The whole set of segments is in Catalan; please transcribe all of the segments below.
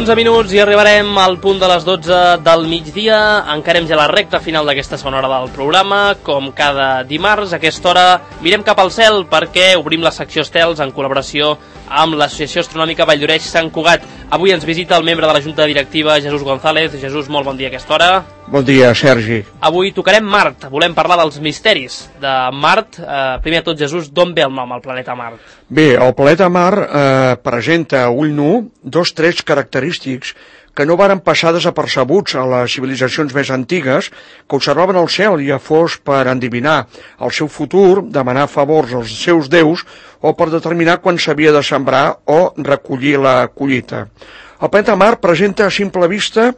11 minuts i arribarem al punt de les 12 del migdia. Encarem ja la recta final d'aquesta segona hora del programa. Com cada dimarts, a aquesta hora mirem cap al cel perquè obrim la secció estels en col·laboració amb l'Associació Astronòmica Vall d'Oreix Sant Cugat. Avui ens visita el membre de la Junta Directiva, Jesús González. Jesús, molt bon dia a aquesta hora. Bon dia, Sergi. Avui tocarem Mart. Volem parlar dels misteris de Mart. Primer de tot, Jesús, d'on ve el nom, el planeta Mart? Bé, el planeta Mart presenta a ull nu dos trets característics que no varen passar desapercebuts a les civilitzacions més antigues, que observaven el cel ja fos per endevinar el seu futur, demanar favors als seus déus o per determinar quan s'havia de sembrar o recollir la collita. El planeta Mart presenta a simple vista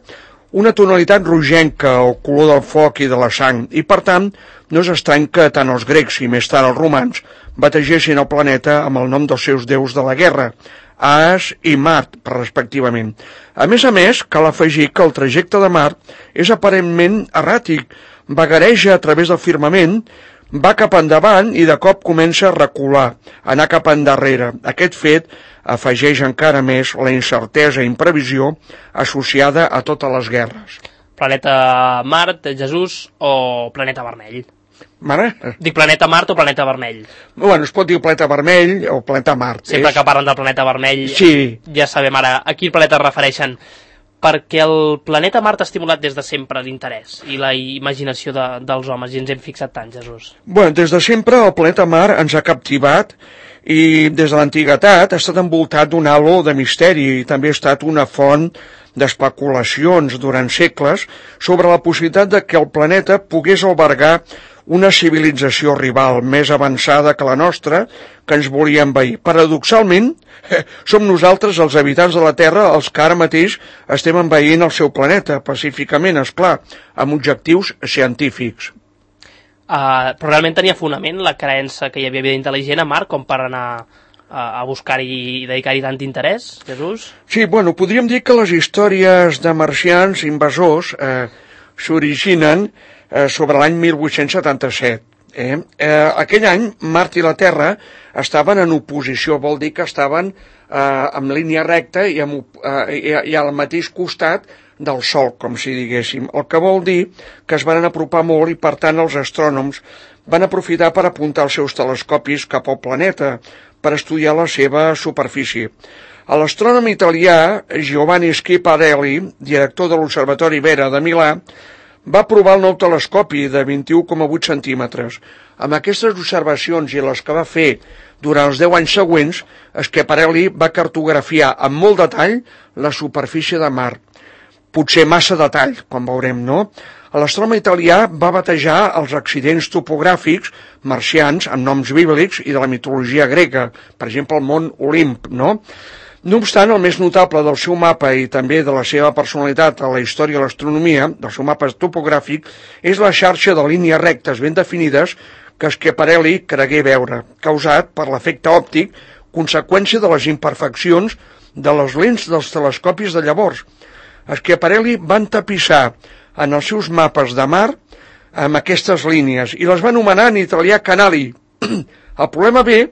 una tonalitat rogenca o color del foc i de la sang, i per tant no és estrany que tant els grecs i més tard els romans bategessin el planeta amb el nom dels seus déus de la guerra, As i Mart, respectivament. A més, cal afegir que el trajecte de Mart és aparentment erràtic, vagareja a través del firmament, va cap endavant i de cop comença a recular, anar cap endarrere. Aquest fet afegeix encara més la incertesa i imprevisió associada a totes les guerres. Planeta Mart, Jesús, o planeta vermell? Mare? Dic planeta Mart o planeta vermell? Bueno, es pot dir planeta vermell o planeta Mart. Sempre que parlen del planeta vermell, sí. Ja sabem ara a quin planeta es refereixen. Perquè el planeta Mart ha estimulat des de sempre l'interès i la imaginació dels homes, i ens hem fixat tant, Jesús. Bueno, des de sempre el planeta Mart ens ha captivat i des de l'antiguitat ha estat envoltat d'un halo de misteri i també ha estat una font d'especulacions durant segles sobre la possibilitat de que el planeta pogués albergar una civilització rival més avançada que la nostra, que ens volia envair. Paradoxalment, som nosaltres, els habitants de la Terra, els que ara mateix estem envaint el seu planeta, pacíficament, esclar, amb objectius científics. Però realment tenia fonament la creença que hi havia vida intel·ligent a Mart com per anar a buscar-hi i dedicar-hi tant interès, Jesús? Sí, bueno, podríem dir que les històries de marcians invasors s'originen sobre l'any 1877. Aquell any, Mart i la Terra estaven en oposició, vol dir que estaven en línia recta i al mateix costat del Sol, com si diguéssim, el que vol dir que es van apropar molt i, per tant, els astrònoms van aprofitar per apuntar els seus telescopis cap al planeta per estudiar la seva superfície. L'astrònom italià Giovanni Schiaparelli, director de l'Observatori Vera de Milà, va provar el nou telescopi de 21,8 centímetres. Amb aquestes observacions i les que va fer durant els 10 anys següents, Schiaparelli va cartografiar amb molt detall la superfície de Mart. Potser massa detall, com veurem, no? L'astrònom italià va batejar els accidents topogràfics marcians amb noms bíblics i de la mitologia grega, per exemple el mont Olimp, no? No obstant, el més notable del seu mapa i també de la seva personalitat a la història de l'astronomia, del seu mapa topogràfic, és la xarxa de línies rectes ben definides que Schiaparelli cregué veure, causat per l'efecte òptic, conseqüència de les imperfeccions de les lents dels telescopis de llavors. Schiaparelli va entapissar en els seus mapes de Mart amb aquestes línies i les va anomenar en italià canali. El problema ve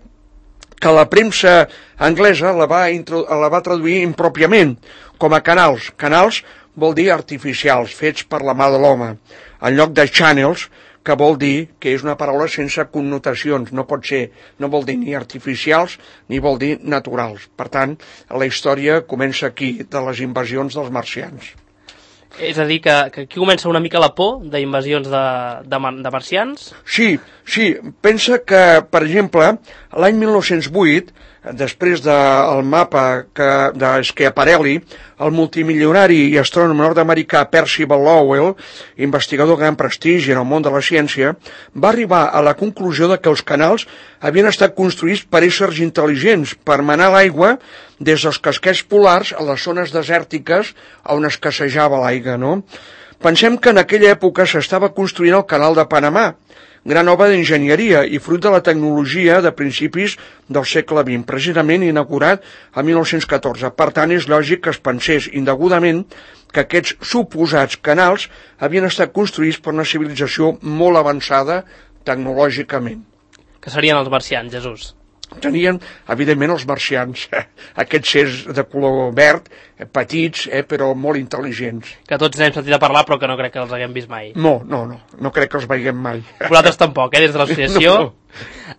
que la premsa anglesa la va traduir impròpiament com a canals. Canals vol dir artificials, fets per la mà de l'home, en lloc de channels, que vol dir que és una paraula sense connotacions, no vol dir ni artificials ni vol dir naturals. Per tant, la història comença aquí, de les invasions dels marcians. És a dir, que aquí comença una mica la por d'invasions de marcians? Sí. Pensa que, per exemple, l'any 1908, després del mapa de Schiaparelli, el multimilionari i astrònom nord-americà Percival Lowell, investigador de gran prestigi en el món de la ciència, va arribar a la conclusió de que els canals havien estat construïts per éssers intel·ligents per manar l'aigua des dels casquets polars a les zones desèrtiques on escassejava l'aigua, no? Pensem que en aquella època s'estava construint el canal de Panamà, gran obra d'enginyeria i fruit de la tecnologia de principis del segle XX, precisament inaugurat el 1914. Per tant, és lògic que es pensés indegudament que aquests suposats canals havien estat construïts per una civilització molt avançada tecnològicament. Que serien els marcians, Jesús. tenien, evidentment, els marcians, aquests éssers de color verd, petits, però molt intel·ligents. Que tots n'hem sentit a parlar, però que no crec que els haguem vist mai. No crec que els veiem mai. Vosaltres tampoc, des de l'associació. No.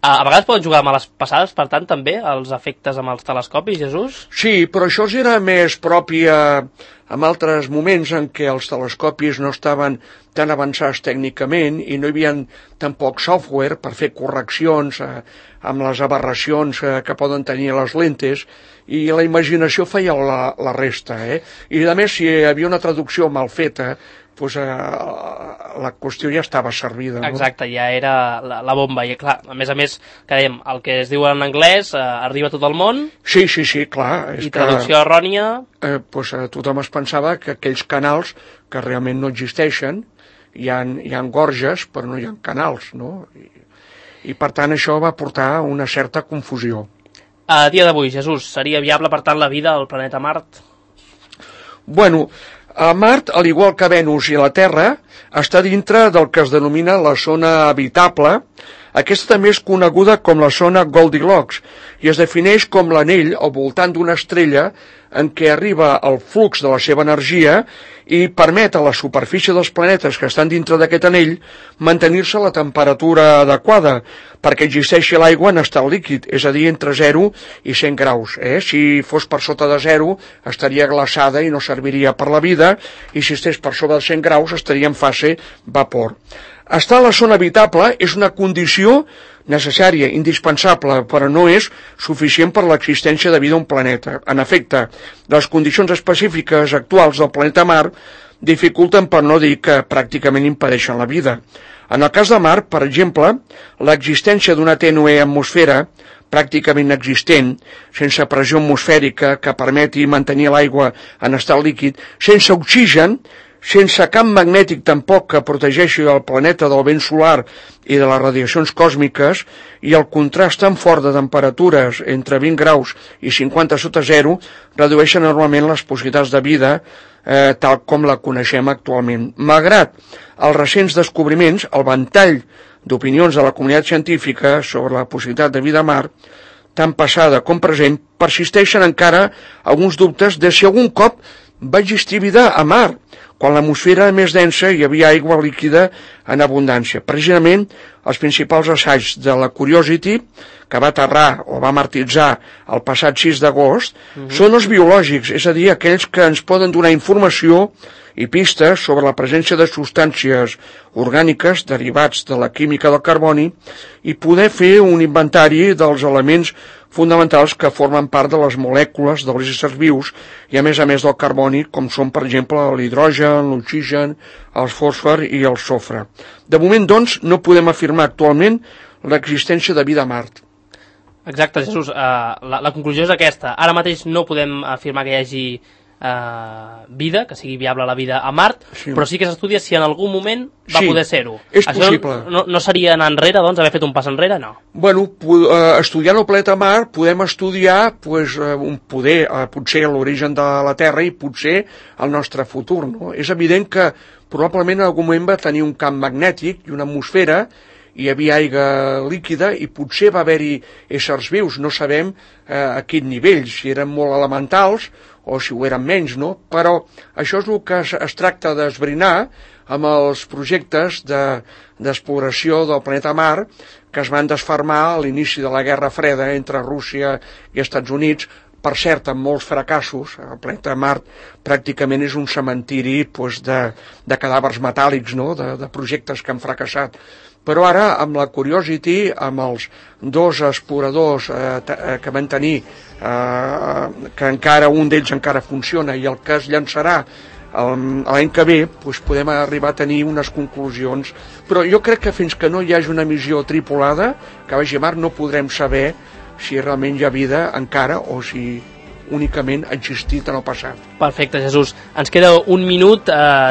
A vegades poden jugar a males passades, per tant, també, els efectes amb els telescopis, Jesús? Sí, però això era més propi en altres moments en què els telescopis no estaven tan avançats tècnicament i no hi havia tampoc software per fer correccions amb les aberracions que poden tenir les lentes, i la imaginació feia la resta. I a més, si hi havia una traducció mal feta, doncs la qüestió ja estava servida. No? Exacte, ja era la bomba. I clar, a més, que dèiem, el que es diu en anglès arriba a tot el món. Sí, clar. I traducció errònia. Tothom es pensava que aquells canals que realment no existeixen, hi ha gorges, però no hi ha canals, no? I per tant això va portar una certa confusió. A dia d'avui, Jesús, seria viable, per tant, la vida al planeta Mart? Bueno, a Mart, al igual que Venus i la Terra, està dintre del que es denomina la zona habitable. Aquesta també és coneguda com la zona Goldilocks i es defineix com l'anell al voltant d'una estrella en què arriba el flux de la seva energia i permet a la superfície dels planetes que estan dintre d'aquest anell mantenir-se a la temperatura adequada perquè existeixi l'aigua en estat líquid, és a dir, entre 0 i 100 graus. Si fos per sota de 0 estaria glaçada i no serviria per la vida, i si estés per sobre de 100 graus estaria en fase vapor. Estar a la zona habitable és una condició necessària, indispensable, però no és suficient per l'existència de vida a un planeta. En efecte, les condicions específiques actuals del planeta Mart dificulten, per no dir que pràcticament impedeixen la vida. En el cas de Mart, per exemple, l'existència d'una tènue atmosfera pràcticament inexistent, sense pressió atmosfèrica que permeti mantenir l'aigua en estat líquid, sense oxigen, sense camp magnètic tampoc que protegeixi el planeta del vent solar i de les radiacions còsmiques, i el contrast tan fort de temperatures entre 20 graus i 50 sota 0 redueixen enormement les possibilitats de vida tal com la coneixem actualment. Malgrat els recents descobriments, el ventall d'opinions de la comunitat científica sobre la possibilitat de vida a Mart, tant passada com present, persisteixen encara alguns dubtes de si algun cop va existir vida a Mart, quan l'atmosfera era més densa i hi havia aigua líquida en abundància. Precisament, els principals assaigs de la Curiosity, que va aterrar o va martitzar el passat 6 d'agost, són els biològics, és a dir, aquells que ens poden donar informació i pistes sobre la presència de substàncies orgàniques derivats de la química del carboni i poder fer un inventari dels elements fonamentals que formen part de les molècules dels éssers vius i a més del carboni, com són, per exemple, l'hidrogen, l'oxigen, el fòsfor i el sofre. De moment, doncs, no podem afirmar actualment l'existència de vida a Mart. Exacte, Jesús. La conclusió és aquesta. Ara mateix no podem afirmar que hi hagi vida, que sigui viable la vida a Mart, sí. Però sí que s'estudia si en algun moment va poder ser-ho. És possible. No seria anar enrere, doncs, haver fet un pas enrere? No. Bueno, estudiant el planeta Mart podem estudiar potser l'origen de la Terra i potser el nostre futur. No? És evident que probablement en algun moment va tenir un camp magnètic i una atmosfera, hi havia aigua líquida i potser va haver-hi éssers vius, no sabem a quin nivell, si eren molt elementals o si ho eren menys, no? Però això és el que es tracta d'esbrinar amb els projectes d'exploració del planeta Mart que es van desfermar a l'inici de la Guerra Freda entre Rússia i Estats Units, per cert, amb molts fracassos. El planeta Mart pràcticament és un cementiri de cadàvers metàl·lics, no? de projectes que han fracassat. Però ara, amb la Curiosity, amb els dos exploradors que van tenir, que encara un d'ells encara funciona i el que es llançarà l'any que ve, podem arribar a tenir unes conclusions. Però jo crec que fins que no hi hagi una missió tripulada que vagi a Mart no podrem saber si realment hi ha vida encara o si únicament ha existit en el passat. Perfecte, Jesús. Ens queda un minut.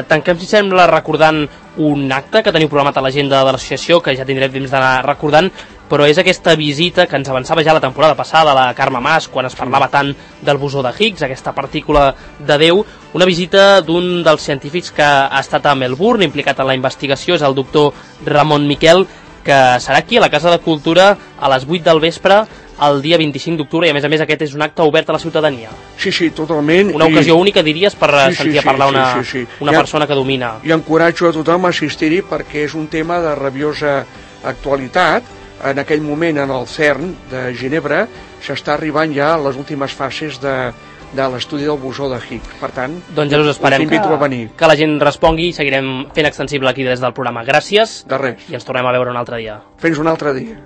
Tanquem, si sembla, recordant un acte que teniu programat a l'agenda de l'associació, que ja tindrem temps d'anar recordant, però és aquesta visita que ens avançava ja la temporada passada, la Carme Mas, quan es parlava tant del bosó de Higgs, aquesta partícula de Déu, una visita d'un dels científics que ha estat a Melbourne, implicat en la investigació, és el doctor Ramon Miquel, que serà aquí a la Casa de Cultura a les 8 del vespre el dia 25 d'octubre, i a més aquest és un acte obert a la ciutadania. Sí, totalment. Una ocasió única, diries, per sentir a parlar una persona que domina. I encoratjo a tothom a assistir-hi perquè és un tema de rabiosa actualitat. En aquell moment, en el CERN de Ginebra, s'està arribant ja a les últimes fases de l'estudi del bosó de Higgs. Per tant, doncs ja us esperem que la gent respongui i seguirem fent extensible aquí des del programa. Gràcies. De res. I ens tornem a veure un altre dia. Fins un altre dia.